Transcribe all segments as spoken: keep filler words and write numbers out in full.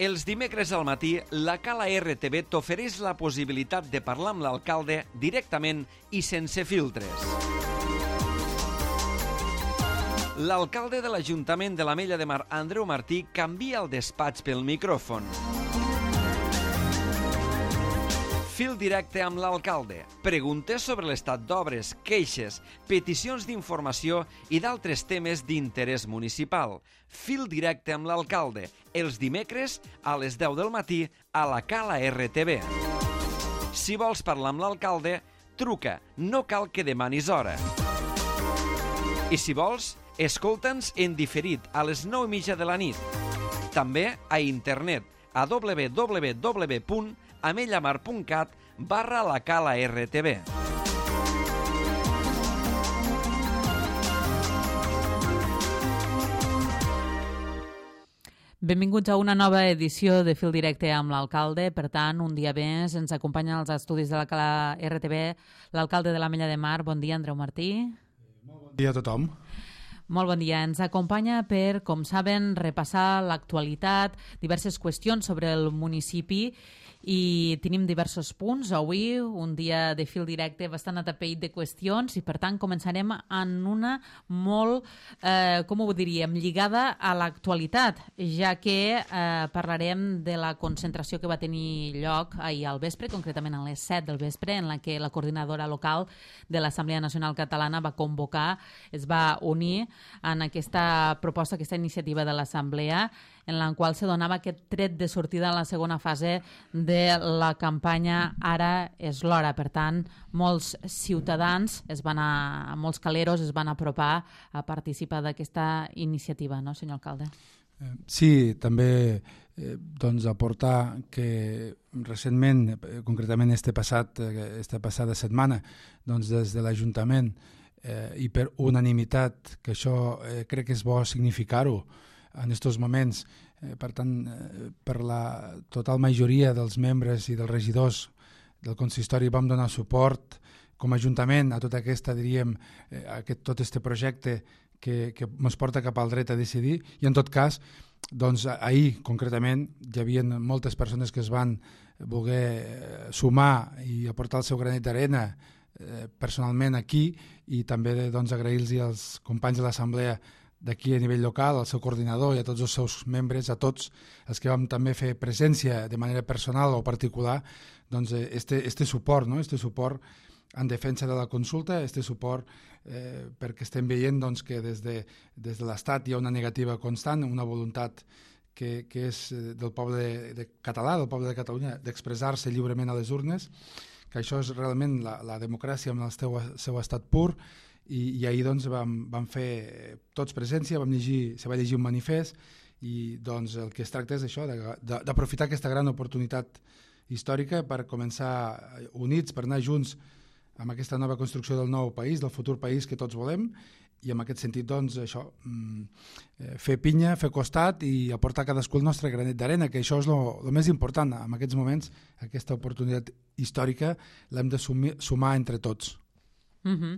Els dimecres al matí, la Cala R T V t'ofereix la possibilitat de parlar amb l'alcalde directament i sense filtres. L'alcalde de l'Ajuntament de l'Ametlla de Mar, Andreu Martí, canvia el despatx pel micròfon. Fil directe amb l'alcalde. Preguntes sobre l'estat d'obres, queixes, peticions d'informació i d'altres temes d'interès municipal. Fil directe amb l'alcalde. Els dimecres a les deu del matí a la Cala R T V. Si vols parlar amb l'alcalde, truca. No cal que demanis hora. I si vols, escolta'ns en diferit a les nou i mitja de la nit. També a internet a w w w punt amellamar punt cat barra la Cala R T V. Benvinguts a una nova edició de Fil Directe amb l'alcalde. Per tant, un dia més ens acompanya als estudis de la Cala R T V l'alcalde de l'Ametlla de Mar. Bon dia, Andreu Martí. Molt bon dia a tothom. Molt bon dia. Ens acompanya per, com saben, repassar l'actualitat, diverses qüestions sobre el municipi i tenim diversos punts. Avui, un dia de fil directe bastant atapeït de qüestions i, per tant, començarem en una molt, eh, com ho diríem, lligada a l'actualitat, ja que eh, parlarem de la concentració que va tenir lloc ahir al vespre, concretament a les set del vespre, en la que la coordinadora local de l'Assemblea Nacional Catalana va convocar, es va unir en aquesta proposta, aquesta iniciativa de l'Assemblea, en la qual se donava aquest tret de sortida en la segona fase de la campanya Ara és l'hora. Per tant, molts ciutadans, es van a, molts caleros es van apropar a participar d'aquesta iniciativa, no, senyor alcalde? Sí, també eh, doncs aportar que recentment, concretament este passat, esta passada setmana, doncs des de l'Ajuntament eh, i per unanimitat, que això eh, crec que és bo significar-ho en aquests moments, eh, per tant, eh, per la total majoria dels membres i dels regidors del consistori vam donar suport com a Ajuntament a tota aquesta, diríem, eh, aquest, tot este projecte que, que ens porta cap al dret a decidir, i en tot cas, doncs ahir concretament hi havia moltes persones que es van voler sumar i aportar el seu granet d'arena eh, personalment aquí, i també doncs, agrair-los als companys de l'Assemblea d'aquí a nivell local, al seu coordinador i a tots els seus membres, a tots els que vam també fer presència de manera personal o particular, doncs este, este suport, no? este suport en defensa de la consulta, este suport eh, perquè estem veient doncs, que des de, des de l'Estat hi ha una negativa constant, una voluntat que, que és del poble de, de català, del poble de Catalunya, d'expressar-se lliurement a les urnes, que això és realment la, la democràcia en el seu, seu estat pur. I, i ahir doncs, vam, vam fer tots presència, vam llegir, se va llegir un manifest i doncs, el que es tracta és això, d'aprofitar aquesta gran oportunitat històrica per començar units, per anar junts amb aquesta nova construcció del nou país, del futur país que tots volem, i en aquest sentit doncs, això, fer pinya, fer costat i aportar cadascú el nostre granet d'arena, que això és el més important en aquests moments. Aquesta oportunitat històrica l'hem de sumir, sumar entre tots. Uh-huh.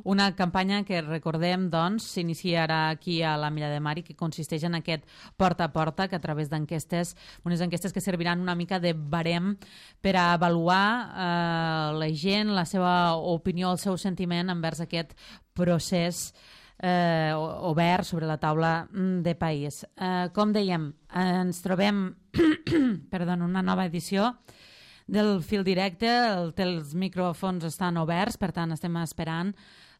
Una campanya que recordem doncs s'iniciarà aquí a l'Ametlla de Mar i que consisteix en aquest porta a porta, que a través d'enquestes, unes enquestes que serviran una mica de barem per a avaluar eh, la gent, la seva opinió, el seu sentiment envers aquest procés eh, obert sobre la taula de país. Eh, com dèiem, ens trobem perdó, en una nova edició del fil directe, el, els micròfons estan oberts, per tant estem esperant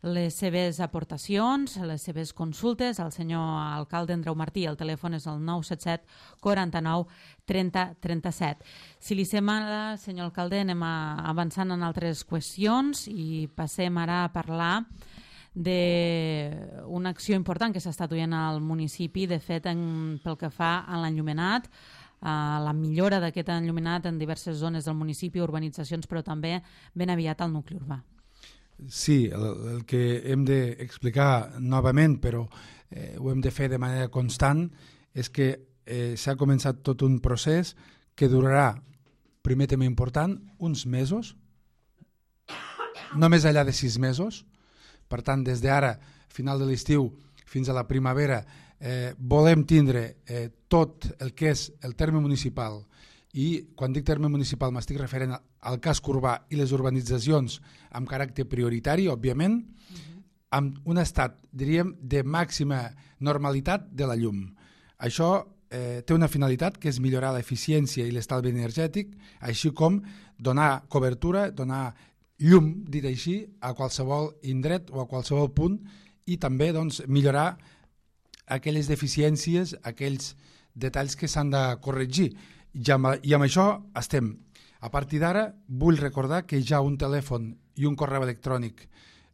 les seves aportacions, les seves consultes al senyor alcalde Andreu Martí. El telèfon és el nou set set quaranta-nou trenta trenta-set. Si li sembla, senyor alcalde, anem a, avançant en altres qüestions i passem ara a parlar d'una acció important que s'està duent al municipi, de fet, en, pel que fa a l'enllumenat, a la millora d'aquest enllumenat en diverses zones del municipi, urbanitzacions, però també ben aviat al nucli urbà. Sí, el, el que hem d'explicar novament, però eh, ho hem de fer de manera constant, és que eh, s'ha començat tot un procés que durarà, primer tema important, uns mesos, no més enllà de sis mesos. Per tant, des d'ara, final de l'estiu, fins a la primavera, eh, volem tindre eh, tot el que és el terme municipal, i quan dic terme municipal m'estic referent al casc urbà i les urbanitzacions amb caràcter prioritari, òbviament, mm-hmm. amb un estat, diríem, de màxima normalitat de la llum. Això eh, té una finalitat que és millorar l'eficiència i l'estalvi energètic, així com donar cobertura, donar llum, dit així, a qualsevol indret o a qualsevol punt, i també doncs, millorar aquelles deficiències, aquells detalls que s'han de corregir. I amb, I amb això estem. A partir d'ara vull recordar que hi ha un telèfon i un correu electrònic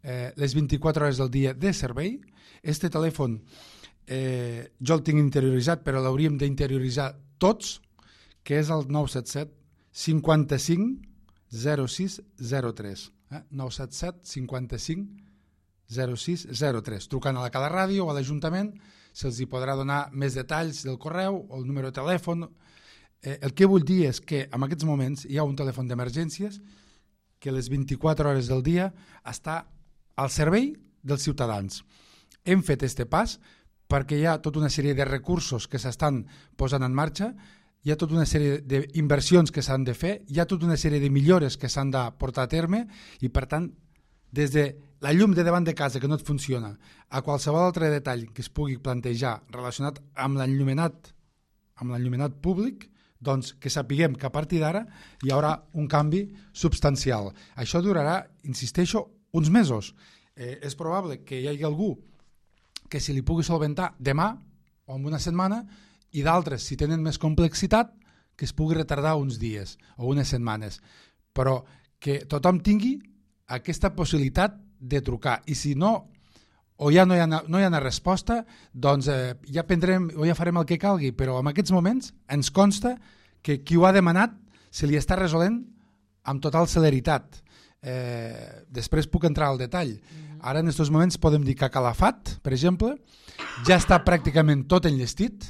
eh, les vint-i-quatre hores del dia de servei. Este telèfon eh, jo el tinc interioritzat, però l'hauríem d'interioritzar tots, que és el nou set set cinquanta-cinc zero sis zero tres. Eh? nou set set cinquanta-cinc zero sis zero tres. Trucant a la Cala Ràdio o a l'Ajuntament se'ls hi podrà donar més detalls del correu o el número de telèfon. Eh, el que vull dir és que en aquests moments hi ha un telèfon d'emergències que les vint-i-quatre hores del dia està al servei dels ciutadans. Hem fet este pas perquè hi ha tota una sèrie de recursos que s'estan posant en marxa, hi ha tota una sèrie d'inversions que s'han de fer, hi ha tota una sèrie de millores que s'han de portar a terme i, per tant, des de la llum de davant de casa que no et funciona a qualsevol altre detall que es pugui plantejar relacionat amb l'enllumenat, amb l'enllumenat públic, doncs que sapiguem que a partir d'ara hi haurà un canvi substancial. Això durarà, insisteixo, uns mesos. Eh, és probable que hi hagi algú que se li pugui solventar demà o en una setmana i d'altres, si tenen més complexitat, que es pugui retardar uns dies o unes setmanes. Però que tothom tingui aquesta possibilitat de trucar. I si no, o ja no hi ha, no hi ha una resposta, doncs eh, ja prendrem o ja farem el que calgui, però en aquests moments ens consta que qui ho ha demanat se li està resolent amb total celeritat. Eh, després puc entrar al detall. Ara en aquests moments podem dir que a Calafat, per exemple, ja està pràcticament tot enllestit,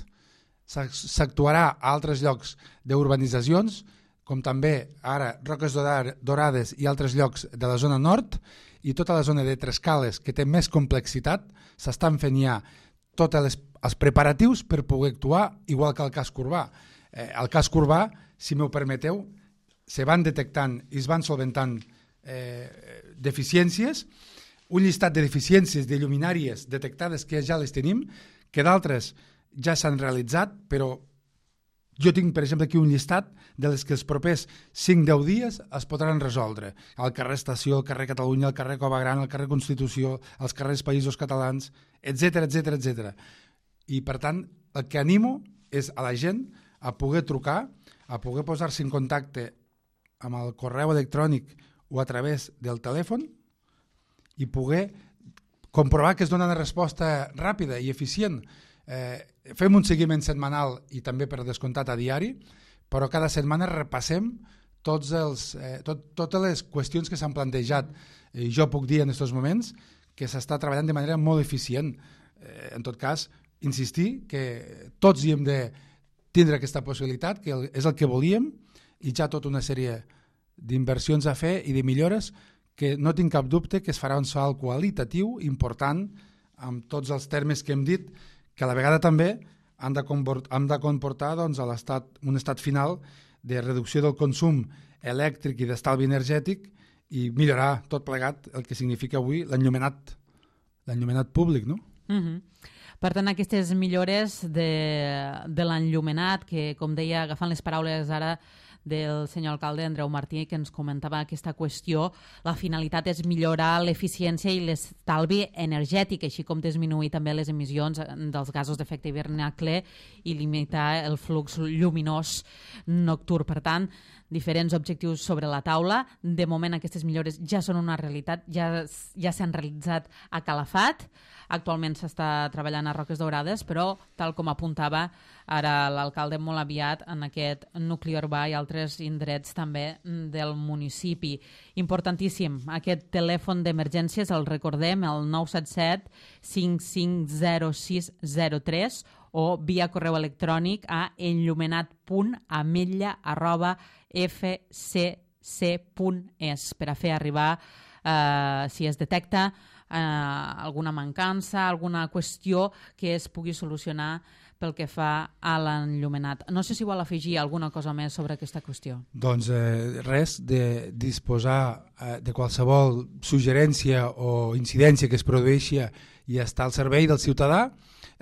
s'actuarà a altres llocs d'urbanitzacions, com també ara Roques Dorades i altres llocs de la zona nord, i tota la zona de Trescales, que té més complexitat, s'estan fent ja tots els, els preparatius per poder actuar, igual que el casc urbà. Eh, el casc urbà, si m'ho permeteu, se van detectant i es van solventant eh, deficiències, un llistat de deficiències de lluminàries detectades que ja les tenim, que d'altres ja s'han realitzat, però jo tinc, per exemple, aquí un llistat de les que els propers cinc a deu dies es podran resoldre. El carrer Estació, el carrer Catalunya, el carrer Cova Gran, el carrer Constitució, els carrers Països Catalans, etcètera, etcètera, etcètera. I, per tant, el que animo és a la gent a poder trucar, a poder posar-se en contacte amb el correu electrònic o a través del telèfon i poder comprovar que es dona una resposta ràpida i eficient. Eh, fem un seguiment setmanal i també per descomptat a diari, però cada setmana repassem tots els, eh, tot, totes les qüestions que s'han plantejat. Eh, jo puc dir en aquests moments que s'està treballant de manera molt eficient. Eh, en tot cas, insistir que tots hi hem de tindre aquesta possibilitat, que és el que volíem, i ja tota una sèrie d'inversions a fer i de millores que no tinc cap dubte que es farà un salt qualitatiu important amb tots els termes que hem dit, que a la vegada també han de comportar, han de comportar doncs, a l'estat, un estat final de reducció del consum elèctric i d'estalvi energètic i millorar tot plegat el que significa avui l'enllumenat, l'enllumenat públic, no? Mm-hmm. Per tant, aquestes millores de, de l'enllumenat, que, com deia, agafant les paraules ara del senyor alcalde Andreu Martí, que ens comentava aquesta qüestió, la finalitat és millorar l'eficiència i l'estalvi energètic, així com disminuir també les emissions dels gasos d'efecte hivernacle i limitar el flux lluminós nocturn. Per tant, diferents objectius sobre la taula. De moment aquestes millores ja són una realitat, ja, ja s'han realitzat a Calafat, actualment s'està treballant a Roques Dorades, però tal com apuntava ara l'alcalde molt aviat en aquest nucli urbà i altres indrets també del municipi. Importantíssim, aquest telèfon d'emergències, el recordem, el nou set set cinc cinc zero sis zero tres o via correu electrònic a enllumenat punt ametlla arroba f c c punt es per a fer arribar, eh, si es detecta eh, alguna mancança, alguna qüestió que es pugui solucionar pel que fa a l'enllumenat. No sé si vol afegir alguna cosa més sobre aquesta qüestió. Doncs eh, res, de disposar eh, de qualsevol suggerència o incidència que es produeixi i estar al servei del ciutadà.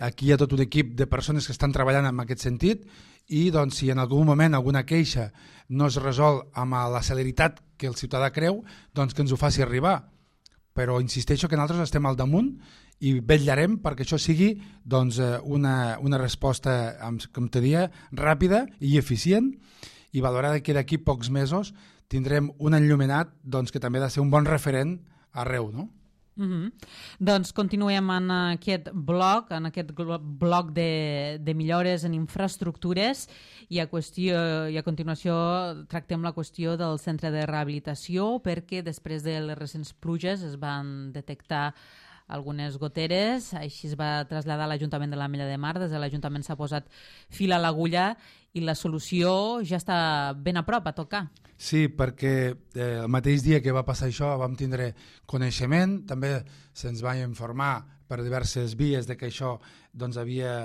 Aquí hi ha tot un equip de persones que estan treballant en aquest sentit i doncs, si en algun moment alguna queixa no es resol amb la celeritat que el ciutadà creu, doncs que ens ho faci arribar. Però insisteixo que nosaltres estem al damunt i vetllarem perquè això sigui doncs, una, una resposta, com te dia, ràpida i eficient, i valorada que d'aquí pocs mesos tindrem un enllumenat doncs, que també ha de ser un bon referent arreu, no? Mm-hmm. Doncs continuem en aquest bloc, en aquest bloc de, de millores en infraestructures i a, qüestió, i a continuació tractem la qüestió del centre de rehabilitació, perquè després de les recents pluges es van detectar algunes goteres, així es va traslladar a l'Ajuntament de l'Ametlla de Mar. Des de l'Ajuntament s'ha posat fil a l'agulla i la solució ja està ben a prop, a tocar. Sí, perquè eh, el mateix dia que va passar això vam tindre coneixement, també se'ns va informar per diverses vies de que això doncs, havia,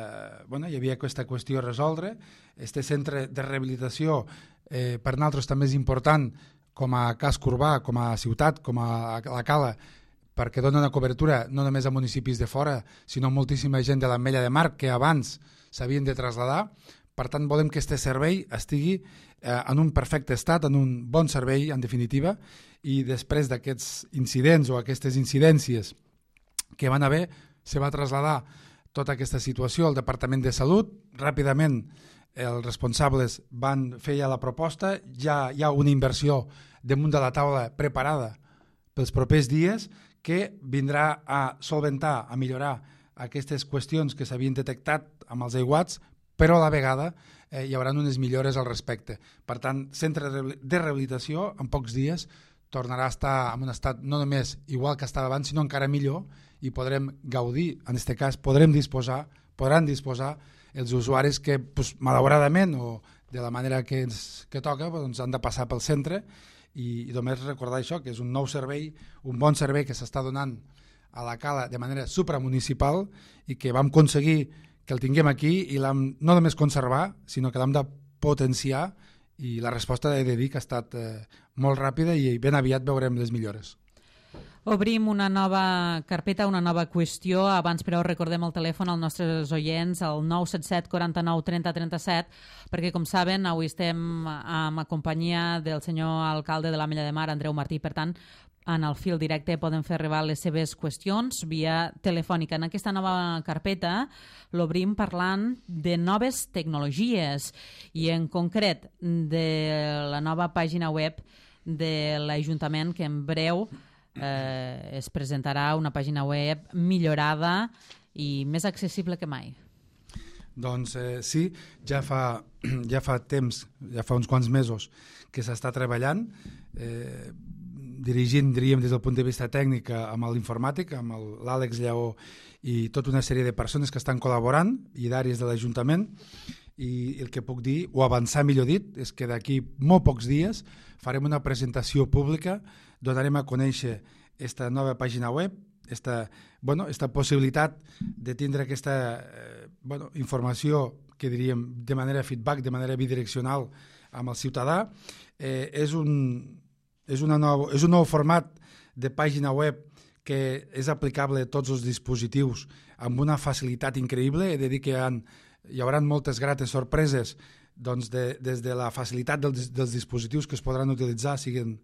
bueno, hi havia aquesta qüestió a resoldre. Este centre de rehabilitació eh, per nosaltres també és important com a casc urbà, com a ciutat, com a la Cala, perquè dona una cobertura no només a municipis de fora, sinó a moltíssima gent de l'Ametlla de Mar que abans s'havien de traslladar. Per tant, volem que aquest servei estigui eh, en un perfecte estat, en un bon servei, en definitiva, i després d'aquests incidents o aquestes incidències que van haver, se va traslladar tota aquesta situació al Departament de Salut. Ràpidament els responsables van fer ja la proposta, ja hi ha una inversió damunt de la taula preparada pels propers dies, que vindrà a solventar, a millorar aquestes qüestions que s'havien detectat amb els aiguats, però a la vegada eh, hi haurà unes millores al respecte. Per tant, centre de rehabilitació en pocs dies tornarà a estar en un estat no només igual que estava abans, sinó encara millor, i podrem gaudir, en aquest cas podrem disposar, podran disposar els usuaris que, pues, malauradament o de la manera que, ens, que toca, doncs, han de passar pel centre. I, i només recordar això, que és un nou servei, un bon servei que s'està donant a la Cala de manera supramunicipal i que vam aconseguir que el tinguem aquí i l'hem no només conservar, sinó que l'hem de potenciar, i la resposta he de dir que ha estat eh, molt ràpida i ben aviat veurem les millores. Obrim una nova carpeta, una nova qüestió. Abans, però, recordem el telèfon als nostres oients, el nou set set quaranta-nou trenta trenta-set, perquè, com saben, avui estem amb la companyia del senyor alcalde de l'Ametlla de Mar, Andreu Martí. Per tant, en el fil directe poden fer arribar les seves qüestions via telefònica. En aquesta nova carpeta l'obrim parlant de noves tecnologies i, en concret, de la nova pàgina web de l'Ajuntament, que en breu Eh, es presentarà una pàgina web millorada i més accessible que mai. Doncs eh, sí, ja fa, ja fa temps, ja fa uns quants mesos que s'està treballant, eh, dirigint, diríem, des del punt de vista tècnic amb l'informàtic, amb l'Àlex Lleó i tota una sèrie de persones que estan col·laborant i d'àrees de l'Ajuntament, i el que puc dir, o avançar millor dit, és que d'aquí molt pocs dies farem una presentació pública, donarem a conèixer aquesta nova pàgina web, esta, bueno, esta possibilitat de tindre aquesta eh, bueno, informació que diríem de manera feedback, de manera bidireccional amb el ciutadà. Eh, és, un, és, una nou, és un nou format de pàgina web que és aplicable a tots els dispositius amb una facilitat increïble. He de dir que hi, ha, hi haurà moltes grates sorpreses doncs de, des de la facilitat dels, dels dispositius que es podran utilitzar, siguin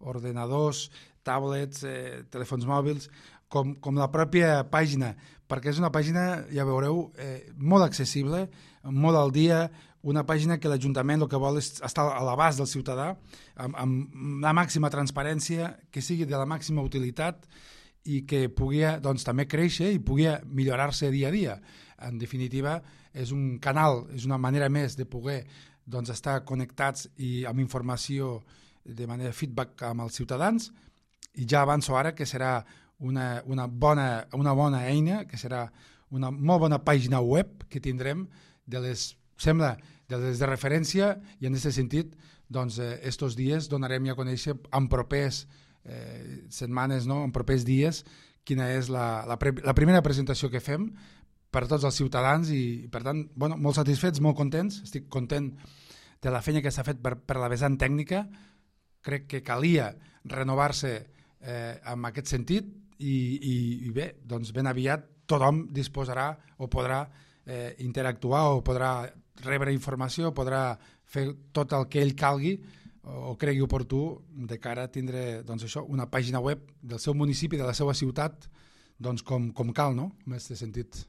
ordenadors, tablets, eh, telèfons mòbils, com, com la pròpia pàgina, perquè és una pàgina, ja veureu, eh, molt accessible, molt al dia, una pàgina que l'Ajuntament el que vol és estar a l'abast del ciutadà, amb, amb la màxima transparència, que sigui de la màxima utilitat i que pugui doncs, també créixer i pugui millorar-se dia a dia. En definitiva, és un canal, és una manera més de poder doncs, estar connectats i amb informació de manera feedback amb els ciutadans, i ja avanço ara que serà una, una, bona, una bona eina, que serà una molt bona pàgina web que tindrem de les, sembla, de les de referència, i en aquest sentit, doncs, eh, estos dies donarem ja a conèixer en propers eh, setmanes, no? En propers dies, quina és la, la, pre, la primera presentació que fem per tots els ciutadans i, per tant, bueno, molt satisfets, molt contents. Estic content de la feina que s'ha fet per, per la vessant tècnica. Crec que calia renovar-se eh, en aquest sentit i, i, i bé, doncs ben aviat tothom disposarà o podrà eh, interactuar o podrà rebre informació, podrà fer tot el que ell calgui o cregui oportú de cara a tindre doncs això, una pàgina web del seu municipi, de la seva ciutat, doncs com, com cal, no? En aquest sentit.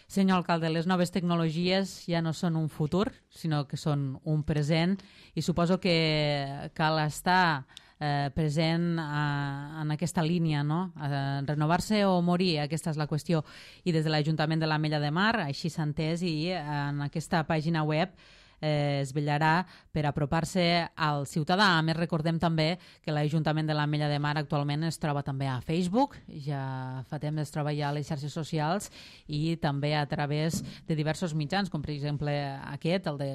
Senyor alcalde, les noves tecnologies ja no són un futur, sinó que són un present i suposo que cal estar eh, present a, en aquesta línia, no? Eh, renovar-se o morir, aquesta és la qüestió. I des de l'Ajuntament de l'Ametlla de Mar, així s'ha entès, i en aquesta pàgina web eh, es vetllarà per apropar-se al ciutadà. A més, recordem també que l'Ajuntament de l'Ametlla de Mar actualment es troba també a Facebook, ja fa temps es troba ja a les xarxes socials i també a través de diversos mitjans, com per exemple aquest, el de,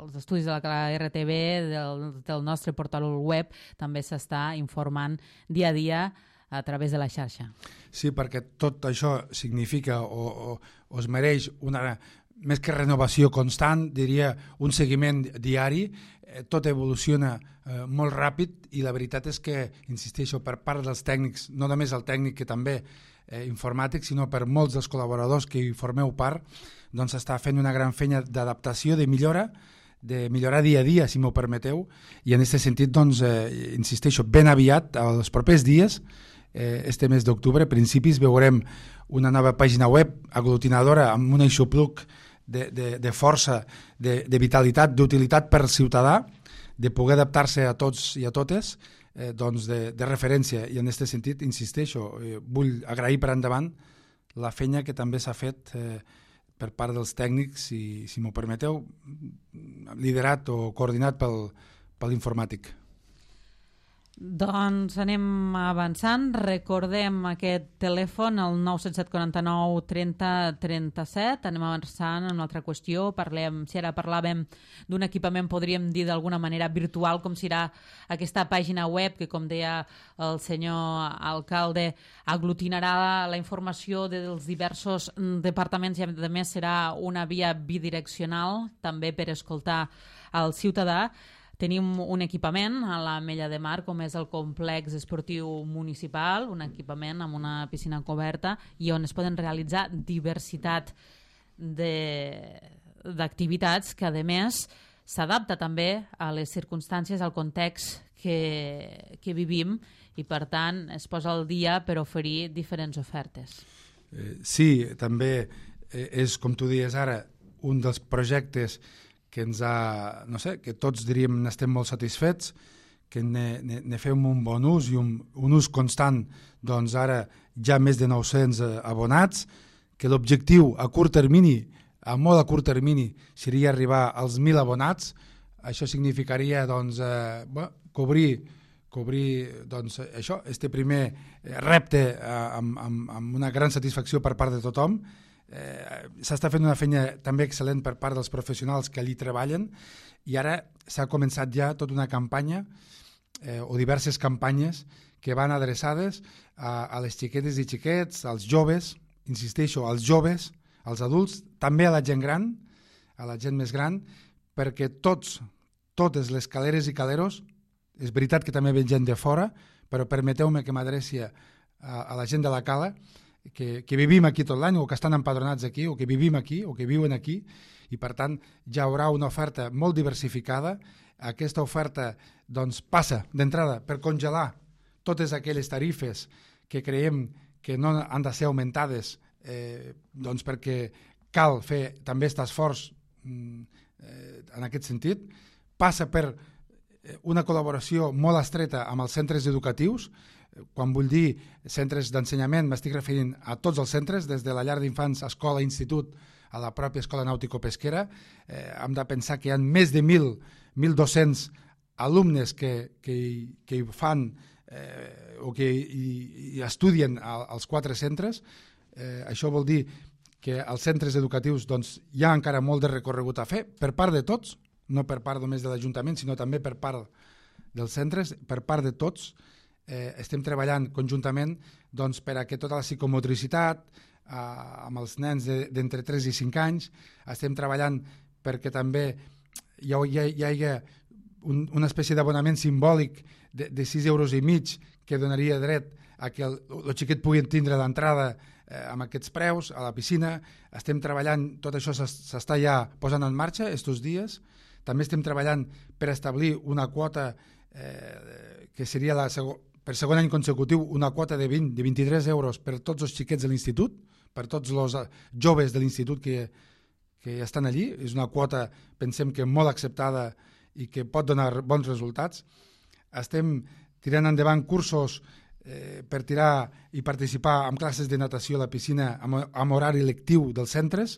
els estudis de la R T V, del, del nostre portal web, també s'està informant dia a dia a través de la xarxa. Sí, perquè tot això significa o, o, o es mereix una... més que renovació constant, diria un seguiment diari, eh, tot evoluciona eh, molt ràpid i la veritat és que, insisteixo, per part dels tècnics, no només el tècnic que també eh, informàtic, sinó per molts dels col·laboradors que hi formeu part, doncs està fent una gran feina d'adaptació, de millora, de millorar dia a dia, si m'ho permeteu, i en aquest sentit, doncs, eh, insisteixo, ben aviat, els propers dies, eh, este mes d'octubre, a principis, veurem una nova pàgina web aglutinadora amb un aixopluc de, de, de força, de, de vitalitat, d'utilitat per ciutadà, de poder adaptar-se a tots i a totes, eh, doncs de, de referència. I en aquest sentit, insisteixo, eh, vull agrair per endavant la feina que també s'ha fet eh, per part dels tècnics, si, si m'ho permeteu, liderat o coordinat pel, per l'informàtic. Doncs anem avançant. Recordem aquest telèfon, el nou set set quatre nou trenta trenta set. Anem avançant en una altra qüestió. Parlem, si ara parlàvem d'un equipament, podríem dir d'alguna manera virtual, com serà aquesta pàgina web que, com deia el senyor alcalde, aglutinarà la informació dels diversos departaments i, a més, serà una via bidireccional també per escoltar el ciutadà. Tenim un equipament a l'Ametlla de Mar, com és el complex esportiu municipal, un equipament amb una piscina coberta i on es poden realitzar diversitat d'activitats que, a més, s'adapta també a les circumstàncies, al context que, que vivim i, per tant, es posa al dia per oferir diferents ofertes. Eh, sí, també eh, és, com tu dies ara, un dels projectes que ens ha, no sé, que tots diríem n'estem molt satisfets, que ne, ne, ne fem un bon ús i un, un ús constant, doncs ara ja més de nou-cents abonats, que l'objectiu a curt termini, a molt a curt termini, seria arribar als mil abonats. Això significaria doncs, eh, bueno, cobrir, cobrir doncs, això, este primer repte eh, amb, amb, amb una gran satisfacció per part de tothom. Eh, s'està fent una feina també excel·lent per part dels professionals que allí treballen i ara s'ha començat ja tota una campanya eh, o diverses campanyes que van adreçades a, a les xiquetes i xiquets, als joves, insisteixo, als joves, als adults, també a la gent gran, a la gent més gran, perquè tots, totes les caleres i caleros, és veritat que també ve gent de fora, però permeteu-me que m'adreci a, a la gent de la cala, Que, que vivim aquí tot l'any o que estan empadronats aquí o que vivim aquí o que viuen aquí i per tant ja hi haurà una oferta molt diversificada. Aquesta oferta doncs, passa d'entrada per congelar totes aquelles tarifes que creiem que no han de ser augmentades eh, doncs perquè cal fer també aquest esforç eh, en aquest sentit. Passa per una col·laboració molt estreta amb els centres educatius. Quan vull dir centres d'ensenyament m'estic referint a tots els centres, des de la llar d'infants, escola, institut, a la pròpia escola nàutico-pesquera. Eh, hem de pensar que hi ha més de mil, mil dos-cents alumnes que, que, que hi fan eh, o que hi, hi estudien als quatre centres. Eh, això vol dir que als centres educatius doncs, hi ha encara molt de recorregut a fer per part de tots, no per part només de l'Ajuntament, sinó també per part dels centres, per part de tots. eh, estem treballant conjuntament doncs, per a que tota la psicomotricitat eh, amb els nens d'entre de, tres i cinc anys, estem treballant perquè també hi, ha, hi, ha, hi hagi un, una espècie d'abonament simbòlic de, de sis euros i mig que donaria dret a que el, el xiquet pugui tindre d'entrada eh, amb aquests preus a la piscina. Estem treballant, tot això s'està ja posant en marxa estos dies. També estem treballant per establir una quota eh, que seria la segon, per segon any consecutiu una quota de vint, de vint-i-tres euros per tots els xiquets de l'institut, per tots els joves de l'institut que, que estan allí. És una quota, pensem que molt acceptada i que pot donar bons resultats. Estem tirant endavant cursos eh, per tirar i participar en classes de natació a la piscina amb, amb horari lectiu dels centres.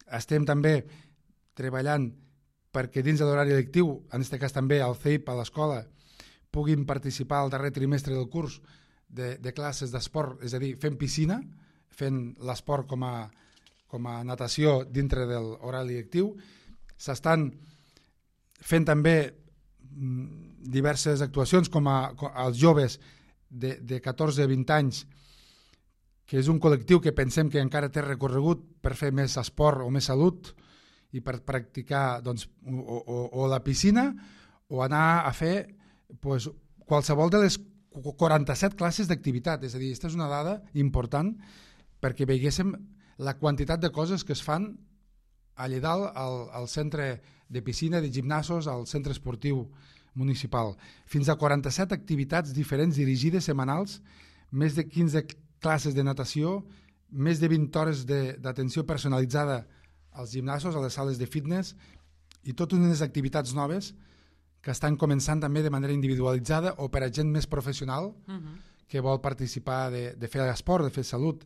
Estem també treballant perquè dins de l'horari lectiu, en aquest cas també al C E I P, a l'escola, puguin participar al darrer trimestre del curs de, de classes d'esport, és a dir, fent piscina, fent l'esport com a, com a natació dintre de l'horari lectiu. S'estan fent també diverses actuacions com a, com als joves de, de catorze a vint anys, que és un col·lectiu que pensem que encara té recorregut per fer més esport o més salut i per practicar doncs, o, o, o la piscina o anar a fer pues, qualsevol de les quaranta-set classes d'activitat. És a dir, aquesta és una dada important perquè veiéssim la quantitat de coses que es fan allà dalt al, al centre de piscina, de gimnasos, al centre esportiu municipal. Fins a quaranta-set activitats diferents dirigides setmanals, més de quinze classes de natació, més de vint hores d'atenció personalitzada als gimnasos, a les sales de fitness i totes unes activitats noves que estan començant també de manera individualitzada o per a gent més professional uh-huh. que vol participar de, de fer esport, de fer salut.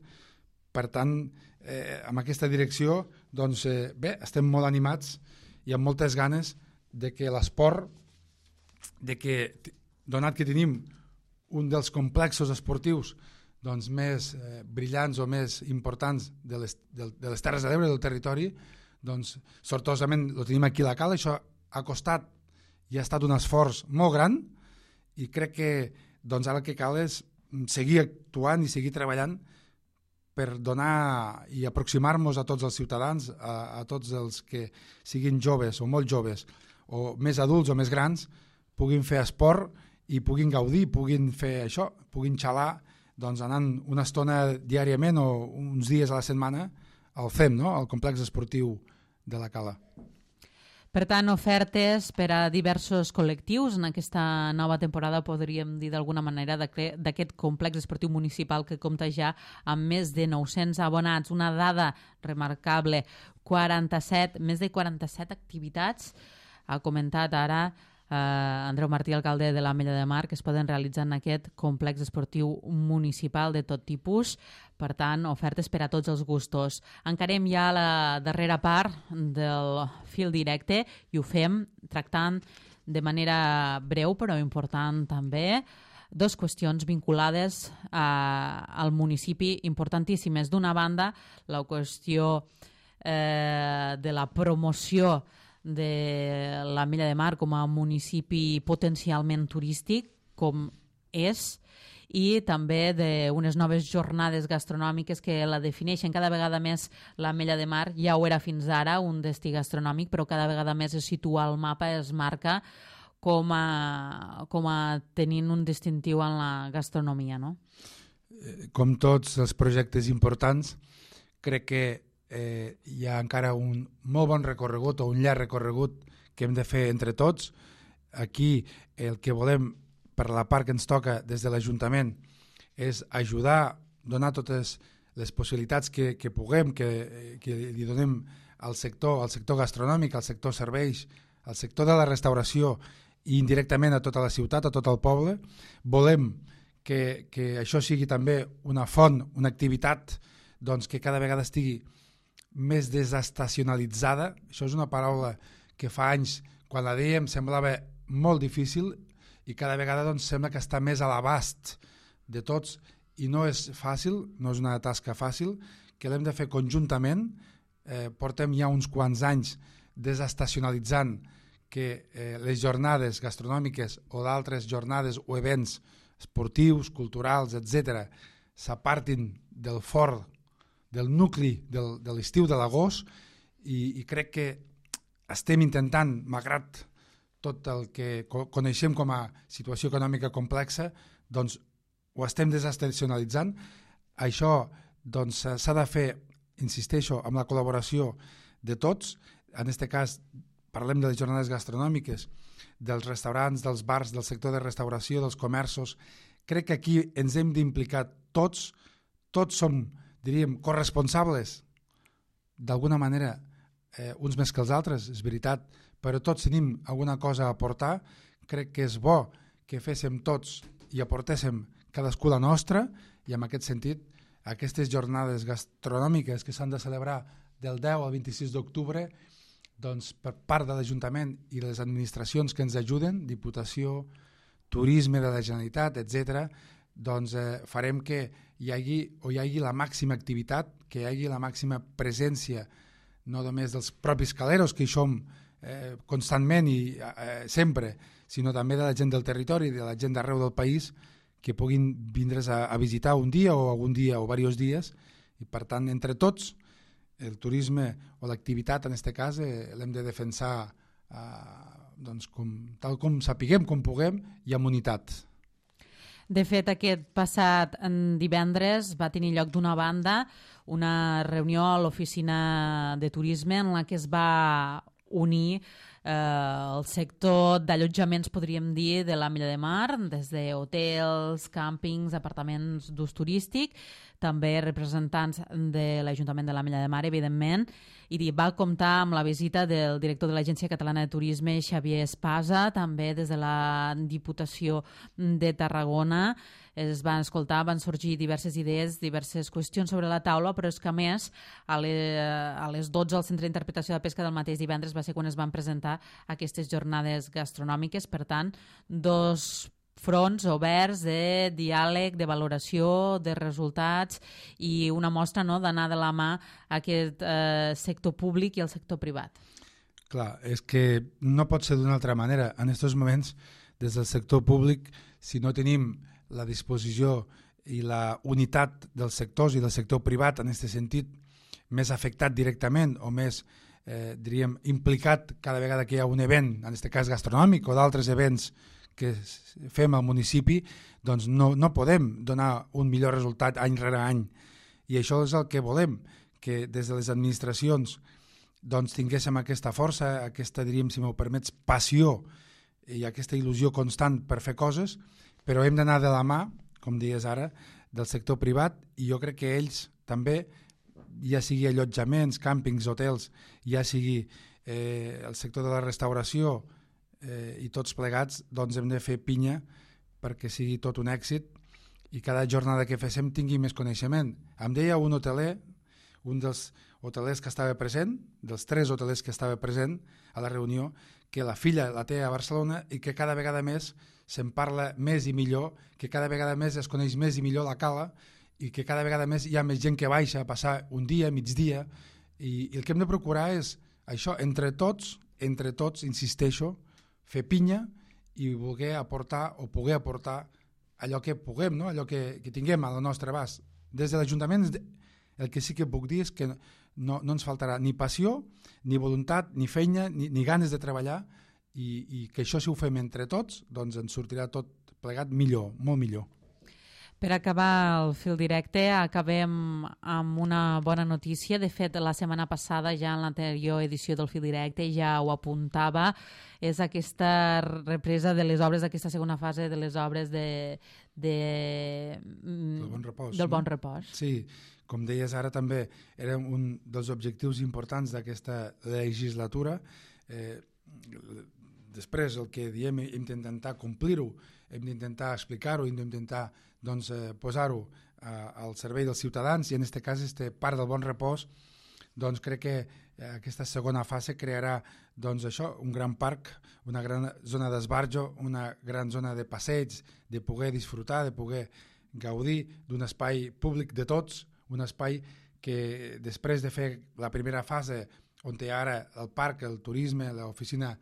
Per tant, eh, amb aquesta direcció, doncs, eh, bé, estem molt animats i amb moltes ganes de que l'esport, de que, donat que tenim un dels complexos esportius doncs, més eh, brillants o més importants de les, de, de les Terres de l'Ebre, del territori, doncs, sortosament el tenim aquí a la Cala. Això ha costat i ha estat un esforç molt gran i crec que doncs, ara el que cal és seguir actuant i seguir treballant per donar i aproximar-nos a tots els ciutadans, a, a tots els que siguin joves o molt joves, o més adults o més grans, puguin fer esport i puguin gaudir, puguin fer això, puguin xalar, doncs anant una estona diàriament o uns dies a la setmana al C E M, no? Al complex esportiu de la Cala. Per tant, ofertes per a diversos col·lectius en aquesta nova temporada, podríem dir d'alguna manera, d'aquest complex esportiu municipal que compta ja amb més de nou-cents abonats. Una dada remarcable, quaranta-set, més de quaranta-set activitats, ha comentat ara Uh, Andreu Martí, alcalde de l'Ametlla de Mar, que es poden realitzar en aquest complex esportiu municipal de tot tipus. Per tant, ofertes per a tots els gustos. Encarem ja la darrera part del fil directe i ho fem tractant de manera breu però important també dos qüestions vinculades a, al municipi importantíssimes. D'una banda, la qüestió eh, de la promoció de l'Ametlla de Mar com a municipi potencialment turístic, com és, i també d'unes noves jornades gastronòmiques que la defineixen cada vegada més. L'Ametlla de Mar ja ho era fins ara, un destí gastronòmic, però cada vegada més es situa al mapa, es marca com a, com a tenint un distintiu en la gastronomia, no? Com tots els projectes importants, crec que Eh, hi ha encara un molt bon recorregut o un llarg recorregut que hem de fer entre tots. Aquí el que volem, per la part que ens toca des de l'Ajuntament, és ajudar, donar totes les possibilitats que, que puguem, que, que li donem al sector, al sector gastronòmic, al sector serveis, al sector de la restauració i indirectament a tota la ciutat, a tot el poble. Volem que, que això sigui també una font, una activitat doncs, que cada vegada estigui més desestacionalitzada. Això és una paraula que fa anys, quan la dèiem, semblava molt difícil i cada vegada doncs, sembla que està més a l'abast de tots i no és fàcil, no és una tasca fàcil, que l'hem de fer conjuntament. Eh, portem ja uns quants anys desestacionalitzant que eh, les jornades gastronòmiques o d'altres jornades o events esportius, culturals, etcètera, s'apartin del fort, del nucli del, de l'estiu de l'agost, i, i crec que estem intentant, malgrat tot el que coneixem com a situació econòmica complexa, doncs ho estem desestacionalitzant. Això doncs, s'ha de fer, insisteixo, amb la col·laboració de tots. En aquest cas parlem de les jornades gastronòmiques, dels restaurants, dels bars, del sector de restauració, dels comerços. Crec que aquí ens hem d'implicar tots, tots som, diríem, corresponsables d'alguna manera, eh, uns més que els altres, és veritat, però tots tenim alguna cosa a aportar. Crec que és bo que féssim tots i aportéssim cadascú la nostra, i en aquest sentit aquestes jornades gastronòmiques que s'han de celebrar del deu al vint-i-sis d'octubre, doncs per part de l'Ajuntament i les administracions que ens ajuden, Diputació, Turisme de la Generalitat, etcètera, doncs eh, farem que hi hagi, o hi hagi la màxima activitat, que hi hagi la màxima presència, no només dels propis caleros, que hi som eh, constantment i eh, sempre, sinó també de la gent del territori, de la gent d'arreu del país, que puguin vindre's a, a visitar un dia o algun dia o diversos dies, i per tant, entre tots, el turisme o l'activitat, en aquest cas, eh, l'hem de defensar eh, doncs, com, tal com sapiguem, com puguem, i amb unitat. De fet, aquest passat divendres va tenir lloc d'una banda una reunió a l'oficina de turisme en la que es va unir eh, el sector d'allotjaments, podríem dir, de la Milla de Mar, des de hotels, càmpings, apartaments d'ús turístic, també representants de l'Ajuntament de la Milla de Mar, evidentment, i va comptar amb la visita del director de l'Agència Catalana de Turisme, Xavier Espasa, també des de la Diputació de Tarragona. Es van escoltar, van sorgir diverses idees, diverses qüestions sobre la taula, però és que a més, a les, a les dotze al Centre d'Interpretació de Pesca del mateix divendres va ser quan es van presentar aquestes jornades gastronòmiques. Per tant, dos fronts oberts de diàleg, de valoració, de resultats, i una mostra, no, d'anar de la mà aquest eh, sector públic i el sector privat. Clar, és que no pot ser d'una altra manera. En aquests moments, des del sector públic, si no tenim la disposició i la unitat dels sectors i del sector privat, en aquest sentit, més afectat directament o més, eh, diríem, implicat cada vegada que hi ha un event, en aquest cas gastronòmic, o d'altres events que fem al municipi, doncs no, no podem donar un millor resultat any rere any. I això és el que volem, que des de les administracions doncs, tinguéssim aquesta força, aquesta, diríem, si m'ho permets, passió i aquesta il·lusió constant per fer coses, però hem d'anar de la mà, com dies ara, del sector privat, i jo crec que ells també, ja sigui allotjaments, càmpings, hotels, ja sigui eh, el sector de la restauració, Eh, i tots plegats, doncs hem de fer pinya perquè sigui tot un èxit i cada jornada que féssim tingui més coneixement. Em deia un hoteler, un dels hotelers que estava present, dels tres hotelers que estava present a la reunió, que la filla la té a Barcelona i que cada vegada més se'n parla més i millor, que cada vegada més es coneix més i millor la cala i que cada vegada més hi ha més gent que baixa a passar un dia, migdia, i, i el que hem de procurar és això, entre tots, entre tots, insisteixo, fer pinya i voler aportar o poder aportar allò que puguem, no? Allò que, que tinguem al nostre abast. Des de l'Ajuntament el que sí que puc dir és que no, no ens faltarà ni passió, ni voluntat, ni feina, ni, ni ganes de treballar, i, i que això si ho fem entre tots, doncs ens sortirà tot plegat millor, molt millor. Per acabar el fil directe, acabem amb una bona notícia. De fet, la setmana passada, ja en l'anterior edició del fil directe, ja ho apuntava, és aquesta represa de les obres, aquesta segona fase de les obres de, de, del Bon Repòs. Del Bon Repòs. Sí, com deies ara també, era un dels objectius importants d'aquesta legislatura. Eh, després el que diem hem d'intentar complir-ho, hem d'intentar explicar-ho, hem d'intentar doncs, eh, posar-ho eh, al servei dels ciutadans, i en aquest cas este Parc del Bon Repòs, doncs crec que eh, aquesta segona fase crearà doncs, això, un gran parc, una gran zona d'esbarjo, una gran zona de passeig, de poder disfrutar, de poder gaudir d'un espai públic de tots, un espai que després de fer la primera fase on hi ha ara el parc, el turisme, l'oficina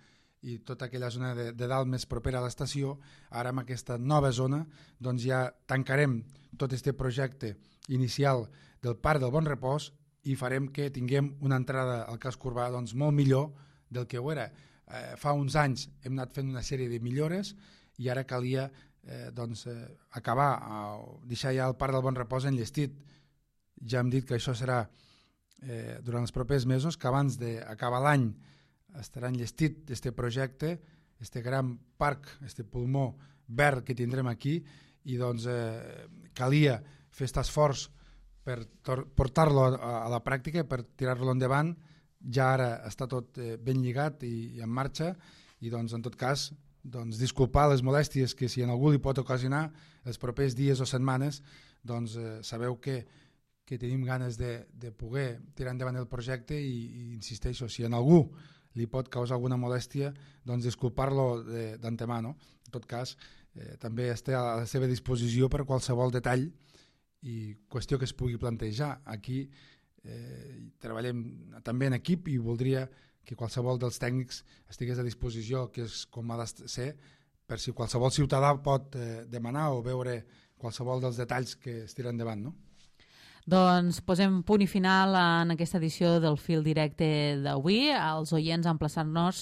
i tota aquella zona de, de dalt més propera a l'estació, ara amb aquesta nova zona doncs ja tancarem tot aquest projecte inicial del Parc del Bon Repòs i farem que tinguem una entrada al casc urbà doncs, molt millor del que ho era. Eh, fa uns anys hem anat fent una sèrie de millores i ara calia eh, doncs, eh, acabar, eh, deixar ja el Parc del Bon Repòs enllestit. Ja hem dit que això serà eh, durant els propers mesos, que abans d'acabar l'any estarà enllestit aquest projecte, aquest gran parc, aquest pulmó verd que tindrem aquí, i doncs eh, calia fer aquest esforç per portar-lo a, a la pràctica, per tirar-lo endavant. Ja ara està tot eh, ben lligat i, i en marxa, i doncs en tot cas doncs, disculpar les molèsties que si en algú li pot ocasionar els propers dies o setmanes, doncs eh, sabeu que que tenim ganes de, de poder tirar endavant el projecte i, i insisteixo, si en algú li pot causar alguna molèstia, doncs disculpar-lo d'antemà, no? En tot cas, eh, també està a la seva disposició per qualsevol detall i qüestió que es pugui plantejar. Aquí eh, treballem també en equip i voldria que qualsevol dels tècnics estigués a disposició, que és com ha de ser, per si qualsevol ciutadà pot eh, demanar o veure qualsevol dels detalls que es tiren endavant, no? Doncs posem punt i final en aquesta edició del Fil Directe d'avui. Els oients emplaçant-nos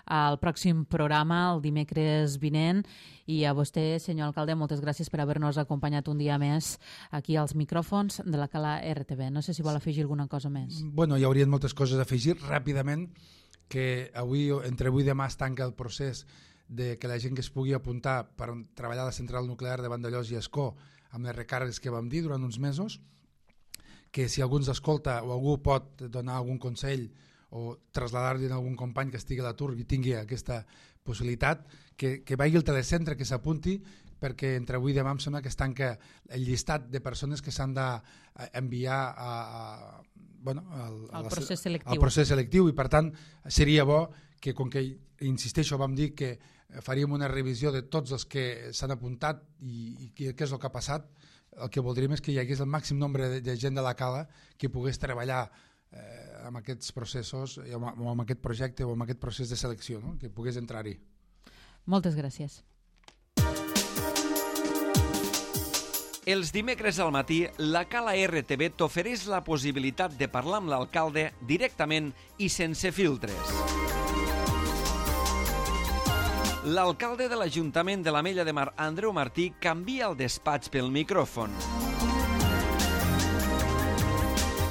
al pròxim programa el dimecres vinent, i a vostè, senyor alcalde, moltes gràcies per haver-nos acompanyat un dia més aquí als micròfons de la Cala R T V. No sé si vol afegir alguna cosa més. Bueno, hi haurien moltes coses a afegir. Ràpidament, que avui, entre avui i demà es tanca el procés de que la gent que es pugui apuntar per treballar a la central nuclear de Vandellòs i Ascó amb les recàrregues que vam dir durant uns mesos, que si algú ens escolta o algú pot donar algun consell o traslladar-li a algun company que estigui a l'atur i tingui aquesta possibilitat, que, que vagi al telecentre, que s'apunti, perquè entre avui i demà em sembla que es tanca el llistat de persones que s'han d'enviar a, a, bueno, al, al, procés selectiu. al procés selectiu, i per tant seria bo que, com que insisteixo, vam dir que faríem una revisió de tots els que s'han apuntat i, i què és el que ha passat. El que voldríem és que hi hagués el màxim nombre de, de gent de la Cala que pogués treballar eh, amb aquests processos, o amb, o amb aquest projecte o amb aquest procés de selecció, no? Que pogués entrar-hi. Moltes gràcies. Els dimecres al matí, la Cala R T V t'ofereix la possibilitat de parlar amb l'alcalde directament i sense filtres. L'alcalde de l'Ajuntament de l'Ametlla de Mar, Andreu Martí, canvia el despatx pel micròfon.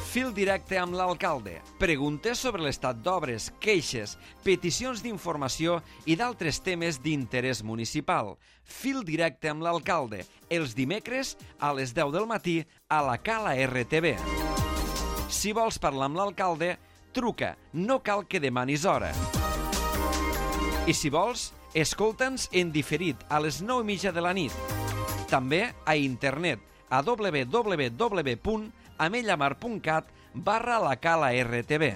Fil directe amb l'alcalde. Preguntes sobre l'estat d'obres, queixes, peticions d'informació i d'altres temes d'interès municipal. Fil directe amb l'alcalde. Els dimecres a les deu del matí a la Cala R T V. Si vols parlar amb l'alcalde, truca. No cal que demanis hora. I si vols, escolta'ns en diferit a les nou i mitja de la nit. També a internet a w w w punt amellamar punt cat barra la Cala R T V.